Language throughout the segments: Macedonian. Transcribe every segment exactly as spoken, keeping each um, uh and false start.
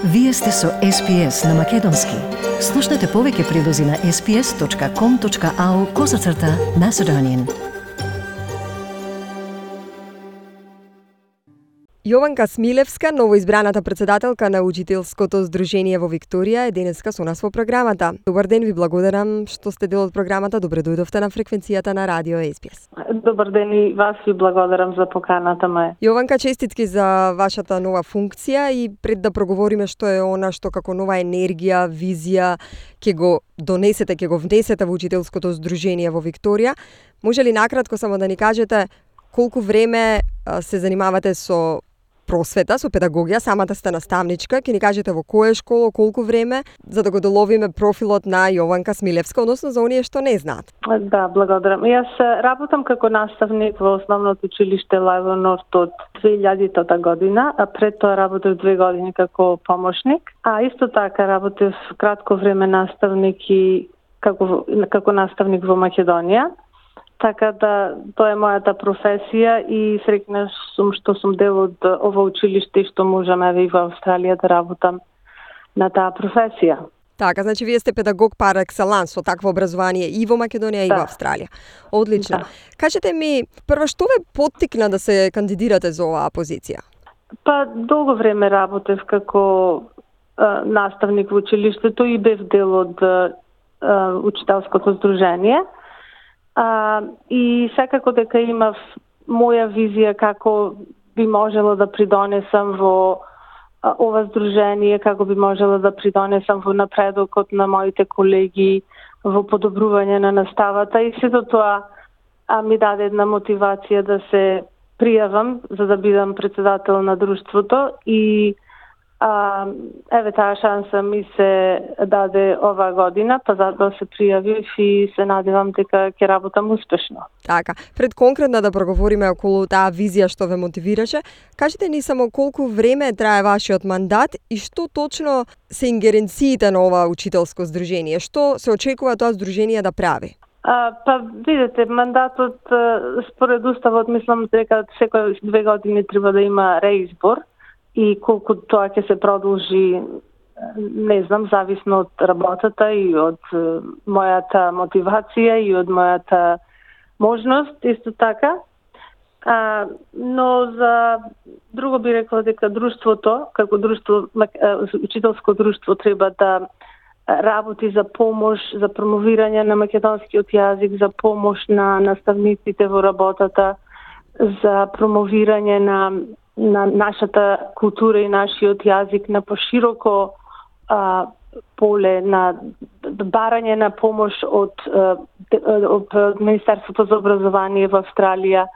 Вие сте со Ес Би Ес на Македонски. Слушнете повеќе прилози на ес би ес точка ком точка ау козацрта Macedonian. Јованка Смилевска, новоизбраната председателка на Учителското здружение во Викторија, е денеска со нас во програмата. Добар ден, ви благодарам што сте дел од програмата. Добре дојдовте на фреквенцијата на Радио Ес Би Ес. Добар ден и вас ви благодарам за поканата ме. Јованка, честитки за вашата нова функција и пред да проговориме што е она што како нова енергија, визија ќе го донесете, ќе го внесете во Учителското здружение во Викторија, може ли накратко само да ни кажете колку време се занимавате со просвета, со педагогија, самата сте наставничка, ќе ни кажете во која школа, колку време, за да го доловиме профилот на Јованка Смилевска, односно за оние што не знаат. Да, благодарам. Јас работам како наставник во основното училиште Лајво Норт од две илјадитата година, а пред тоа работев две години како помошник, а исто така работев кратко време наставник и како како наставник во Македонија. Така да, тоа е мојата професија и среќна сум што сум дел од ова училиште и што можам еве и во Австралија да работам на таа професија. Така, значи вие сте педагог пар екселанс со такво образование и во Македонија и да. во Австралија. Одлично. Да. Кажете ми, прво што ве поттикна да се кандидирате за оваа позиција? Па долго време работев како а, наставник во училиштето и бев дел од а, Учителското здружение. А, и секако дека имав моја визија како би можела да придонесам во а, ова здружение, како би можела да придонесам во напредокот на моите колеги, во подобрување на наставата и сето тоа а, ми даде една мотивација да се пријавам за да бидам председател на друштвото и А, еве таа шанса ми се даде оваа година, па затоа се пријавив и се надевам дека ќе работам успешно. Така, пред конкретно да проговориме околу таа визија што ве мотивираше, кажете ни само колку време трае вашиот мандат и што точно се ингеренциите на ова учителско здружение, што се очекува тоа здружение да прави? А, па видите, мандатот според уставот мислам дека секој две години треба да има реизбор. И колку тоа ќе се продолжи, не знам, зависно од работата и од мојата мотивација и од мојата можност, исто така. А, но за друго би рекла дека друштвото, како друштво, учителско друштво треба да работи за помош, за промовирање на македонскиот јазик, за помош на наставниците во работата, за промовирање на на нашата култура и нашиот јазик на пошироко а, поле, на барање на помош од, од Министерството за образование во Австралија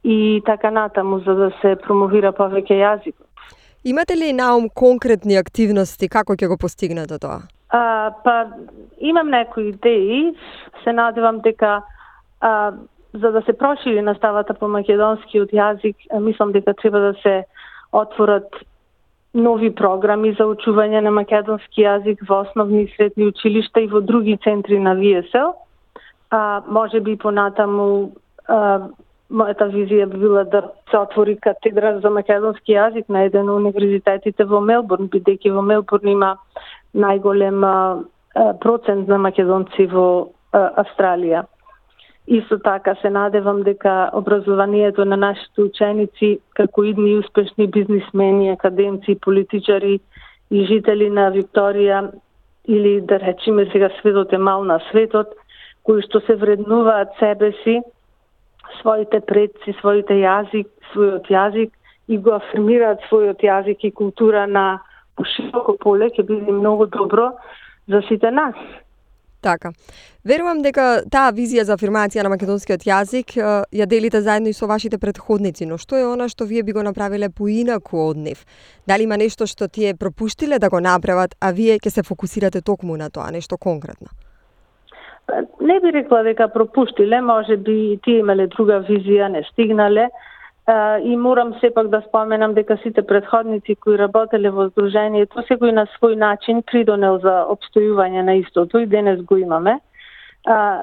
и така натаму, за да се промовира повеќе јазикот. Имате ли наум конкретни активности како ќе го постигнете тоа? А, па, имам некои идеи, се надевам дека а, за да се прошири наставата по македонскиот јазик, мислам дека треба да се отворат нови програми за учување на македонски јазик во основни и средни училишта и во други центри на Ви Ес Ел. А, може би понатаму а, мојата визија би била да се отвори катедра за македонски јазик на еден од универзитетите во Мелбурн, бидејќи во Мелбурн има најголем а, процент на македонци во а, Австралија. Исто така се надевам дека образованието на нашите ученици, како идни успешни бизнисмени, академци, политичари и жители на Викторија, или да речеме сега светот е мал на светот, кои што се вреднуваат себе си, своите предци, своите јазик, својот јазик и го афирмираат својот јазик и култура на пошироко поле, ќе биде многу добро за сите нас. Така. Верувам дека таа визија за афирмација на македонскиот јазик ја делите заедно и со вашите претходници, но што е она што вие би го направиле поинаку од нив? Дали има нешто што тие пропуштиле да го направат, а вие ќе се фокусирате токму на тоа, нешто конкретно? Не би рекла дека пропуштиле, може би тие имале друга визија, не стигнале. И морам сепак да споменам дека сите претходници кои работеле во здружението, секој на свој начин придонел за обстојување на истото и денес го имаме.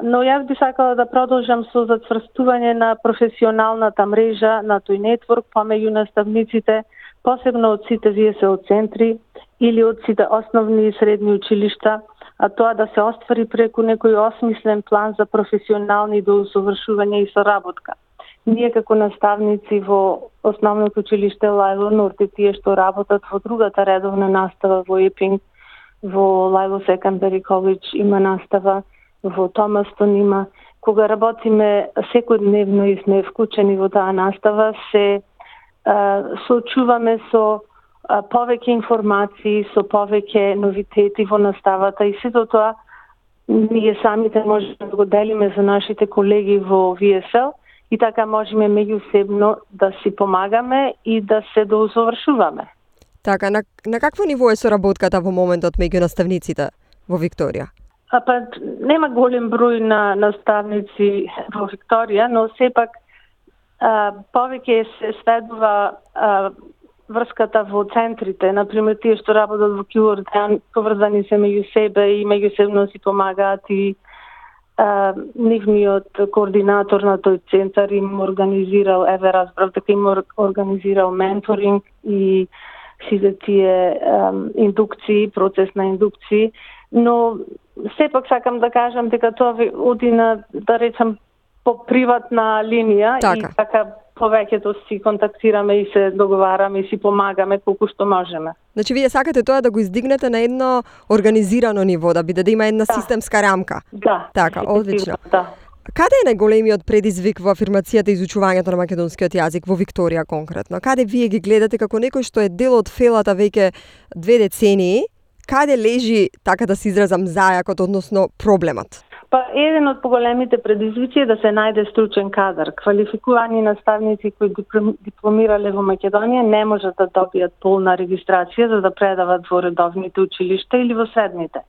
Но јас би сакала да продолжам со затврстување на професионалната мрежа на тој нетворк помеѓу наставниците, посебно од сите Ви Ес Ел центри или од сите основни и средни училишта, а тоа да се оствари преку некој осмислен план за професионални доусовршување и соработка. Ние како наставници во основното училиште Лајло Норт и тие што работат во другата редовна настава во Епинг, во Лајло Секондари Коледж има настава, во Томастон има. Кога работиме секојдневно и сме вклучени во таа настава, се а, соочуваме со а, повеќе информации, со повеќе новитети во наставата и сето тоа ние самите можеме да го делиме за нашите колеги во Ви Ес Ел и така можеме меѓусебно да си помагаме и да се доусовршуваме. Така, на, на какво ниво е соработката во моментот меѓу наставниците во Викторија? А па нема голем број на наставници во Викторија, но сепак а, повеќе се сведува а, врската во центрите, например тие што работат во Кјуорден, поврзани се меѓу себе и меѓусебно си помагаат и а, нивниот координатор на тој центар им организирал, еве разбрав дека им организирал менторинг и сите тие um, индукции, процес на индукции, но сепак сакам да кажам дека тоа оди на, да речам, по приватна линија така. И така повеќето си контактираме и се договараме и си помагаме колку што можеме. Значи вие сакате тоа да го издигнете на едно организирано ниво, да биде да има една да. системска рамка. Да. Така, одлично. Да. Каде е најголемиот предизвик во афирмацијата и изучувањето на македонскиот јазик во Викторија конкретно? Каде вие ги гледате како некој што е дел од фелата веќе две децении? Каде лежи, така да се изразам, зајакот, односно проблемот? Па еден од поголемите предизвици е да се најде стручен кадар. Квалификувани наставници кои дипломирале во Македонија не можат да добијат полна регистрација за да предават во редовните училишта или во средните.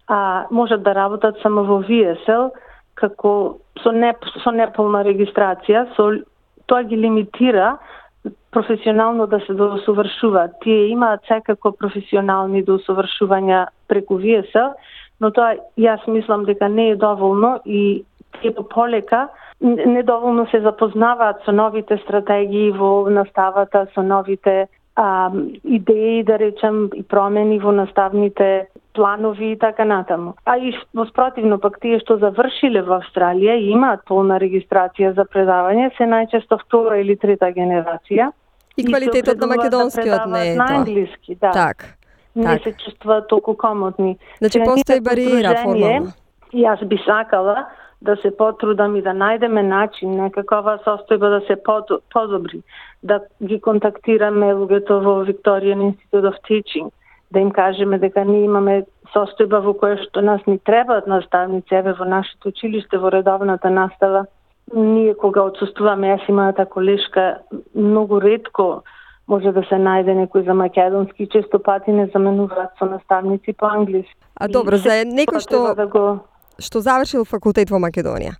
А можат да работат само во Ви Ес Ел, како со не со неполна регистрација, со тоа ги лимитира професионално да се доусовршуваат. Тие имаат секако професионални доусовршувања преку Ви Ес Ел, но тоа јас мислам дека не е доволно и тие полека недоволно се запознаваат со новите стратегии во наставата, со новите а, идеи, да речем, и промени во наставните планови и така натаму. А и во спротивно пак тие што завршиле во Австралија и имаат полна регистрација за предавање, се најчесто втора или трета генерација. И квалитетот на македонскиот да не е на тоа. англиски, да. Так. Не так. се чувствуваат толку комотни. Значи Сега, постои ние како бариера здружение, формално. И јас би сакала да се потрудам и да најдеме начин некаква состојба да се подобри, да ги контактираме луѓето во Victorian Institute of Teaching, да им кажеме дека ние имаме состојба во која што нас ни требаат наставници, еве во нашето училиште, во редовната настава. Ние кога отсуствуваме, јас и мојата колешка, многу ретко може да се најде некој за македонски, често пати не заменуваат со наставници по англиски. А добро, за некој што да го... што завршил факултет во Македонија,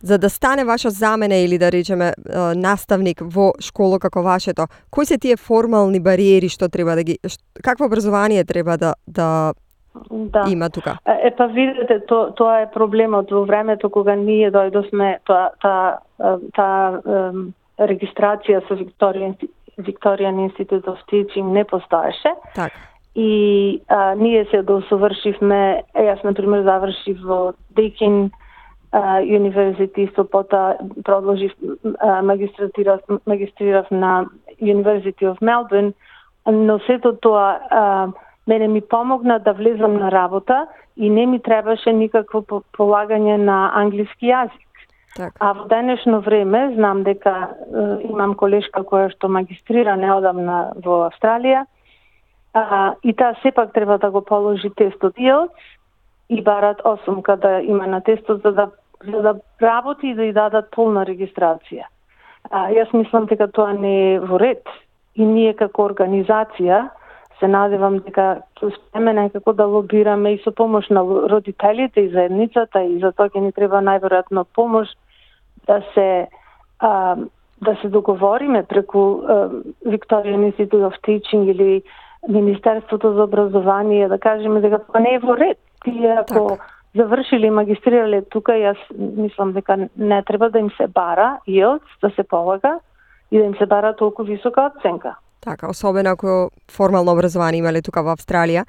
за да стане ваша замена или да речеме наставник во школа како вашето, кои се тие формални бариери што треба да ги какво образование треба да да Да. има тука? Е, па видите, то, тоа е проблемот во времето кога ние дојдовме, тоа та, та, та регистрација со Victorian, Victorian Institute of Teaching не постоеше. Так. И а, ние се доусовршивме, јас например завршив во Deakin University, со пота продолжив магистратирав, магистрирав на University of Melbourne, но сето тоа а, мене ми помогна да влезам на работа и не ми требаше никакво полагање на англиски јазик. Так. А во денешно време знам дека е, имам колешка која што магистрира неодамна во Австралија, а, и таа сепак треба да го положи тестот ай ел ти ес и барат осумка да има на тестот за да, за да работи и да ја дадат полна регистрација. А, јас мислам дека тоа не е во ред и ние како организација се надевам дека ќе успееме некако да лобираме и со помош на родителите и заедницата, и за тоа ќе ни треба најверојатно помош да се а, да се договориме преку а, Victorian Institute of Teaching или Министерството за образование, да кажеме дека тоа не е во ред. Тие ако так. завршили и магистрирале тука, јас мислам дека не треба да им се бара ай ел ти ес да се полага и да им се бара толку висока оценка. Така, особено ако формално образование имале тука во Австралија.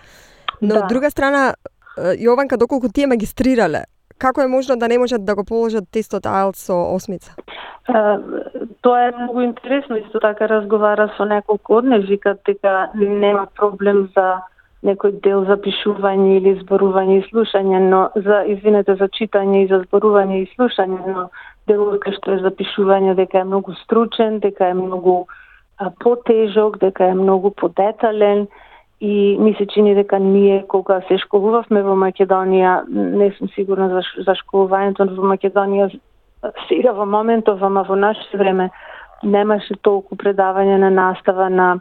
Но Да. од друга страна, Јованка, доколку тие магистрирале, како е можно да не можат да го положат тестот аелтс со осмица? А, тоа е многу интересно, исто така разговара со неколку од нив, викат дека нема проблем за некој дел за пишување или зборување и слушање, но за извинете за читање и за зборување и слушање, но делот кај што е за пишување дека е многу стручен, дека е многу а, потежок, дека е многу подетален и ми се чини дека ние кога се школувавме во Македонија, не сум сигурна за, за школувањето во Македонија сега во моментов, ама во наше време немаше толку предавање на настава на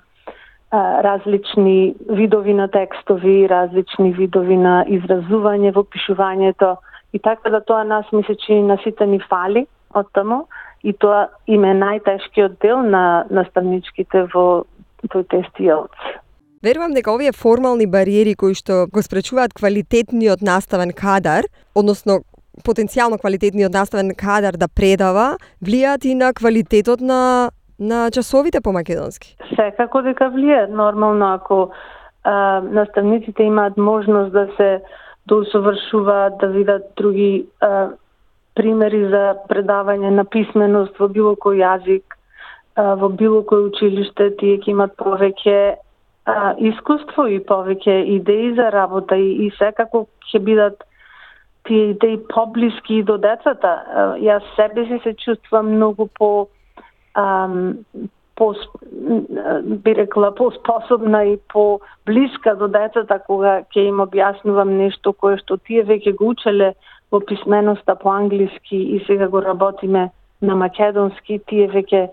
а, различни видови на текстови, различни видови на изразување во пишувањето и така да тоа нас ми се чини на сите ни фали од таму и тоа им е најтешкиот дел на наставничките во тој тест аелтс. Верувам дека овие формални бариери кои што го спречуваат квалитетниот наставен кадар, односно потенцијално квалитетниот наставен кадар да предава, влијаат и на квалитетот на на часовите по македонски. Секако дека влијаат, нормално ако а, наставниците имаат можност да се доусовршуваат, да видат други а, примери за предавање на писменост во било кој јазик, а, во било кој училиште, тие ќе имат повеќе а, искуство и повеќе идеи за работа и, и секако ќе бидат тие идеи поблиски до децата. А, јас себе си се чувствувам многу по ам, по би рекла поспособна и по блиска до децата кога ќе им објаснувам нешто кое што тие веќе го учеле во писменоста по англиски и сега го работиме на македонски, тие веќе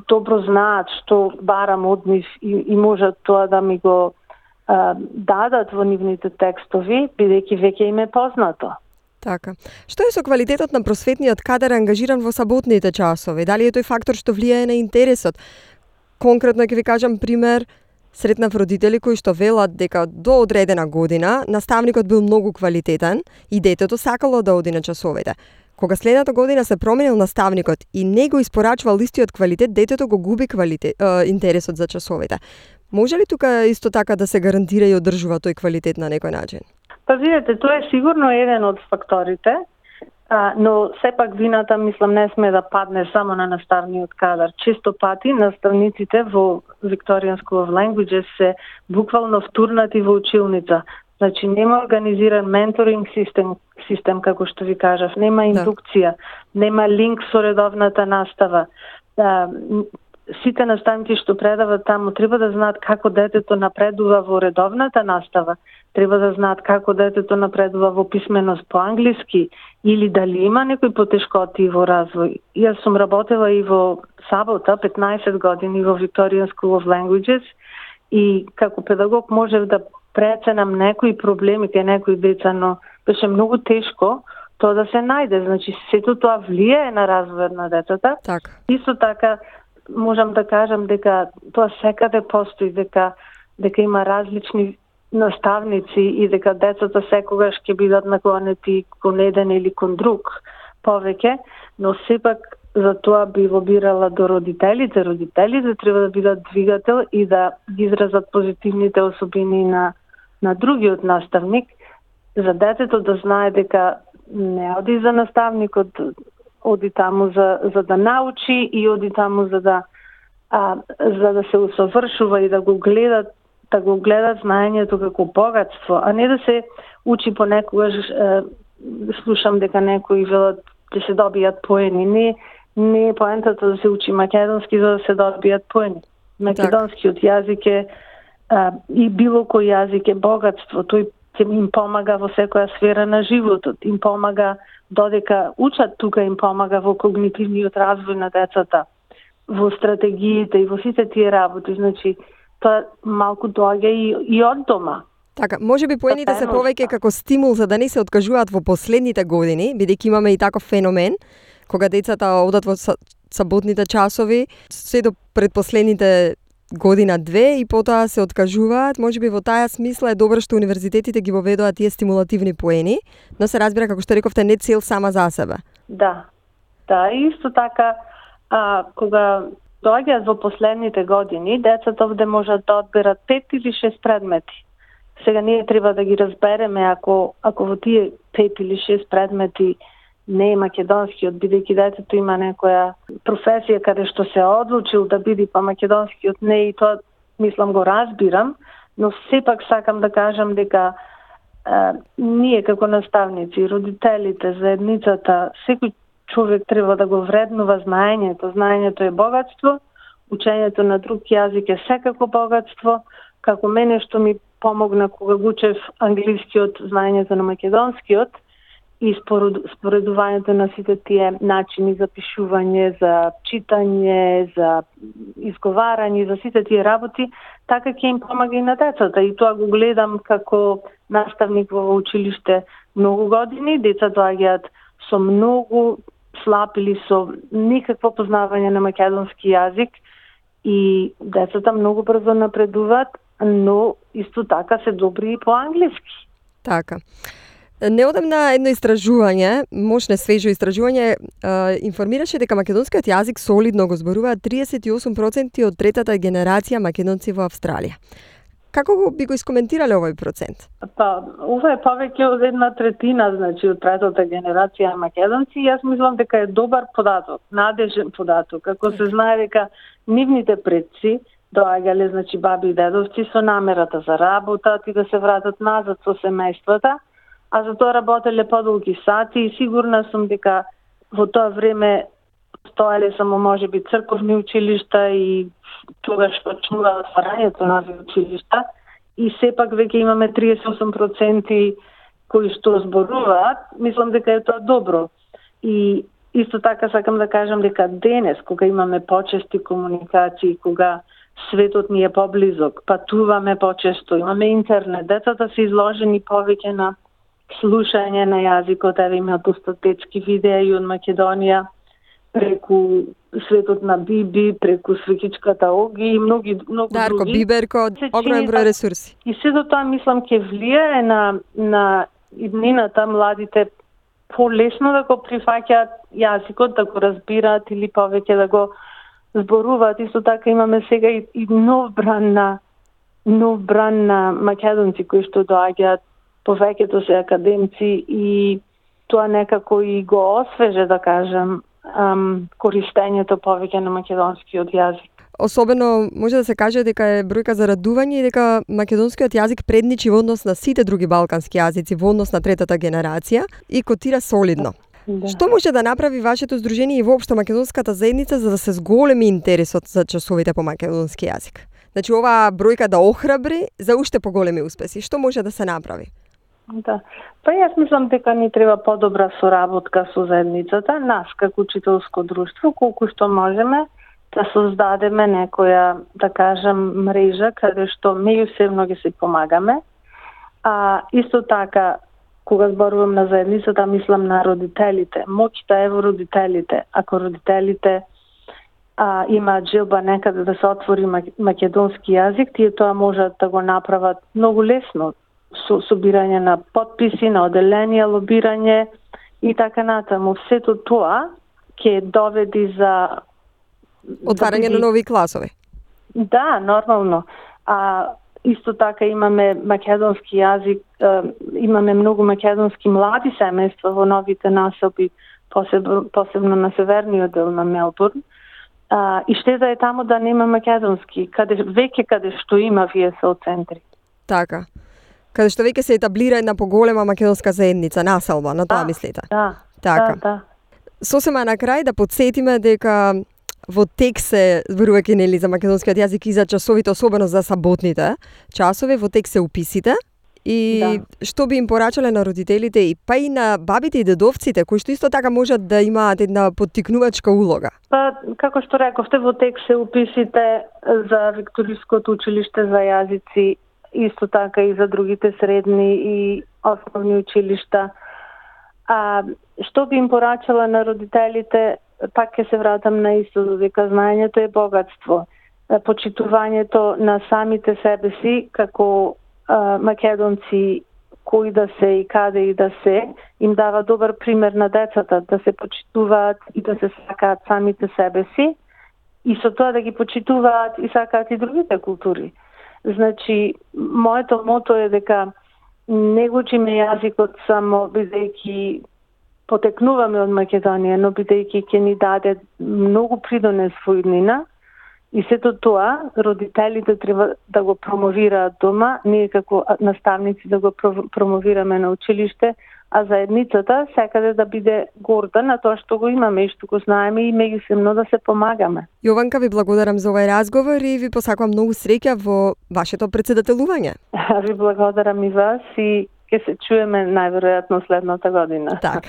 добро знаат што барам од нив и, и можат тоа да ми го а, дадат во нивните текстови, бидејќи веќе им е познато. Така. Што е со квалитетот на просветниот кадар ангажиран во саботните часови? Дали е тој фактор што влијае на интересот? Конкретно ќе ви кажам пример, сретнав родители кои што велат дека до одредена година наставникот бил многу квалитетен и детето сакало да оди на часовите. Кога следната година се променил наставникот и не го испорачувал истиот квалитет, детето го губи квалитет, е, интересот за часовите. Може ли тука исто така да се гарантира и одржува тој квалитет на некој начин? Па видете, тоа е сигурно еден од факторите, а, но сепак вината, мислам, не сме да падне само на наставниот кадар. Често пати наставниците во Victorian School of Languages се буквално втурнати во училница. Значи, нема организиран менторинг систем, систем како што ви кажав, нема индукција, да. Нема линк со редовната настава. А, сите наставници што предават таму треба да знаат како детето напредува во редовната настава, треба да знаат како детето напредува во писменост по англиски или дали има некои потешкоти во развој. Јас сум работела и во Сабота петнаесет години во Victorian School of Languages и како педагог можев да преценам некои проблеми кај некои деца, но беше многу тешко тоа да се најде. Значи, сето тоа влијае на развојот на децата. Так. Исто така, можам да кажам дека тоа секаде постои, дека дека има различни наставници и дека децата секогаш ќе бидат наклонети кон еден или кон друг повеќе, но сепак за тоа би лобирала до родителите. Родителите треба да бидат двигател и да ги изразат позитивните особини на на другиот наставник, за детето да знае дека не оди за наставникот, оди таму за за да научи и оди таму за да а, за да се усовршува и да го гледат да го гледат знаењето како богатство, а не да се учи понекогаш. Е, слушам дека некои велат да се добијат поени. Не, не е поентата да се учи македонски за да се добијат поени. Македонскиот јазик е а, и било кој јазик е богатство. Тој им помага во секоја сфера на животот. Им помага додека учат тука, им помага во когнитивниот развој на децата, во стратегиите и во сите тие работи. Значи, тоа малку доаѓа и, и од дома. Така, може би поените се повеќе како стимул за да не се откажуваат во последните години, бидејќи имаме и таков феномен, кога децата одат во саботните часови, се до предпоследните година-две и потоа се откажуваат. Може би во таа смисла е добро што универзитетите ги воведоа тие стимулативни поени, но се разбира, како што рековте, не цел сама за себе. Да, да, и исто така, а, кога доаѓаат во последните години, децата овде можат да одберат пет или шест предмети. Сега ние треба да ги разбереме ако ако во тие пет или шест предмети не е македонскиот, бидејќи детето има некоја професија каде што се одлучил да биде, па македонскиот не, и тоа мислам го разбирам, но сепак сакам да кажам дека е, ние како наставници, родителите, заедницата, секој човек треба да го вреднува знаењето. Знаењето е богатство, учењето на друг јазик е секако богатство. Како мене што ми помогна кога го учев англискиот, знаењето на македонскиот и споредувањето на сите тие начини за пишување, за читање, за изговарање, за сите тие работи, така ќе им помага и на децата. И тоа го гледам како наставник во училиште многу години. Деца доаѓаат со многу слаб или со никакво познавање на македонски јазик и децата многу брзо напредуваат, но исто така се добри и по англиски. Така. Неодамна едно истражување, мощно свежо истражување, информираше дека македонскиот јазик солидно го зборуваат триесет и осум проценти од третата генерација македонци во Австралија. Како го би го искоментирале овој процент? Па, ова е повеќе од една третина, значи, од третата генерација македонци, и јас мислам дека е добар податок, надежен податок. Ако се знае дека нивните предци доаѓале, значи, баби и дедовци со намерата за работа и да се вратат назад со семејствата, а за тоа работеле подолги сати, и сигурна сум дека во тоа време стоеле само можеби црковни училишта и тогаш почнува отварањето на училишта, и сепак веќе имаме триесет и осум проценти кои што зборуваат. Мислам дека е тоа добро. И исто така сакам да кажам дека денес, кога имаме почести комуникации, кога светот ни е поблизок, патуваме почесто, имаме интернет, децата се изложени повеќе на слушање на јазикот, еве имаат доста детски видеи од Македонија, преку светот на Биби, преку свекичката Оги и многи, многу Дарко, други. Биберко, огромен број ресурси. И сето тоа, мислам, ќе влијае на, на иднината, младите полесно да го прифаќаат јазикот, да го разбираат или повеќе да го зборуваат. Исто така имаме сега и, и нов бран на нов бран на македонци кои што доаѓаат, повеќето се академци, и тоа некако и го освеже, да кажам, ам, користењето повеќе на македонскиот јазик. Особено може да се каже дека е бројка за радување и дека македонскиот јазик предничи во однос на сите други балкански јазици, во однос на третата генерација, и котира солидно. Да. Што може да направи вашето здружение и воопшто македонската заедница за да се зголеми интересот за часовите по македонски јазик? Значи, оваа бројка да охрабри за уште поголеми успеси. Што може да се направи? Да. Па јас мислам дека ни треба подобра соработка со заедницата, нас како учителско друштво, колку што можеме да создадеме некоја, да кажам, мрежа каде што меѓусебно ги се помагаме. А исто така, кога зборувам на заедницата, мислам на родителите. Моќта е во родителите. Ако родителите а, имаат желба некаде да се отвори македонски јазик, тие тоа можат да го направат многу лесно, со собирање на подписи, на оделение, лобирање и така натаму. Сето тоа ќе доведи за отварање на нови класови. Да, нормално. А исто така имаме македонски јазик, имаме многу македонски млади семејства во новите населби, посебно, посебно на северниот дел на Мелбурн. А, и штета е таму да нема македонски, каде веќе каде што има ви ес ел центри. Така. Каде што веќе се етаблира една поголема македонска заедница, населба, на тоа да, мислите? Да, така. да, да. Сосема на крај да подсетиме дека во текст се зборувајќи нели за македонскиот јазик и за часовите, особено за саботните часови, во текст се уписите. И да. Што би им порачале на родителите и па и на бабите и дедовците, кои што исто така можат да имаат една поттикнувачка улога? Па, како што рековте, во текст се уписите за Викториското училиште за јазици, исто така и за другите средни и основни училишта. А што би им порачала на родителите, пак ќе се вратам на истото, дека знаењето е богатство. Почитувањето на самите себе си како а, македонци, кои да се и каде и да се, им дава добар пример на децата, да се почитуваат и да се сакаат самите себе си. и со тоа да ги почитуваат и сакаат и другите култури. Значи, моето мото е дека не го учиме јазикот само бидејќи потекнуваме од Македонија, но бидејќи ќе ни даде многу придонес во иднина, и сето тоа родителите треба да го промовираат дома, ние како наставници да го промовираме на училиште, а заедницата секаде да биде горда на тоа што го имаме и што го знаеме и меѓусебно да се помагаме. Јованка, ви благодарам за овој разговор и ви посакувам многу среќа во вашето претседателување. Ви благодарам и вас и ќе се чуеме најверојатно следната година. Така.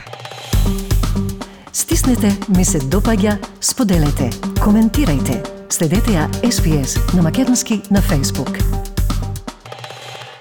Стиснете, ми се допаѓа, споделете, коментирајте. Следете ја Ес Би Ес на македонски на Facebook.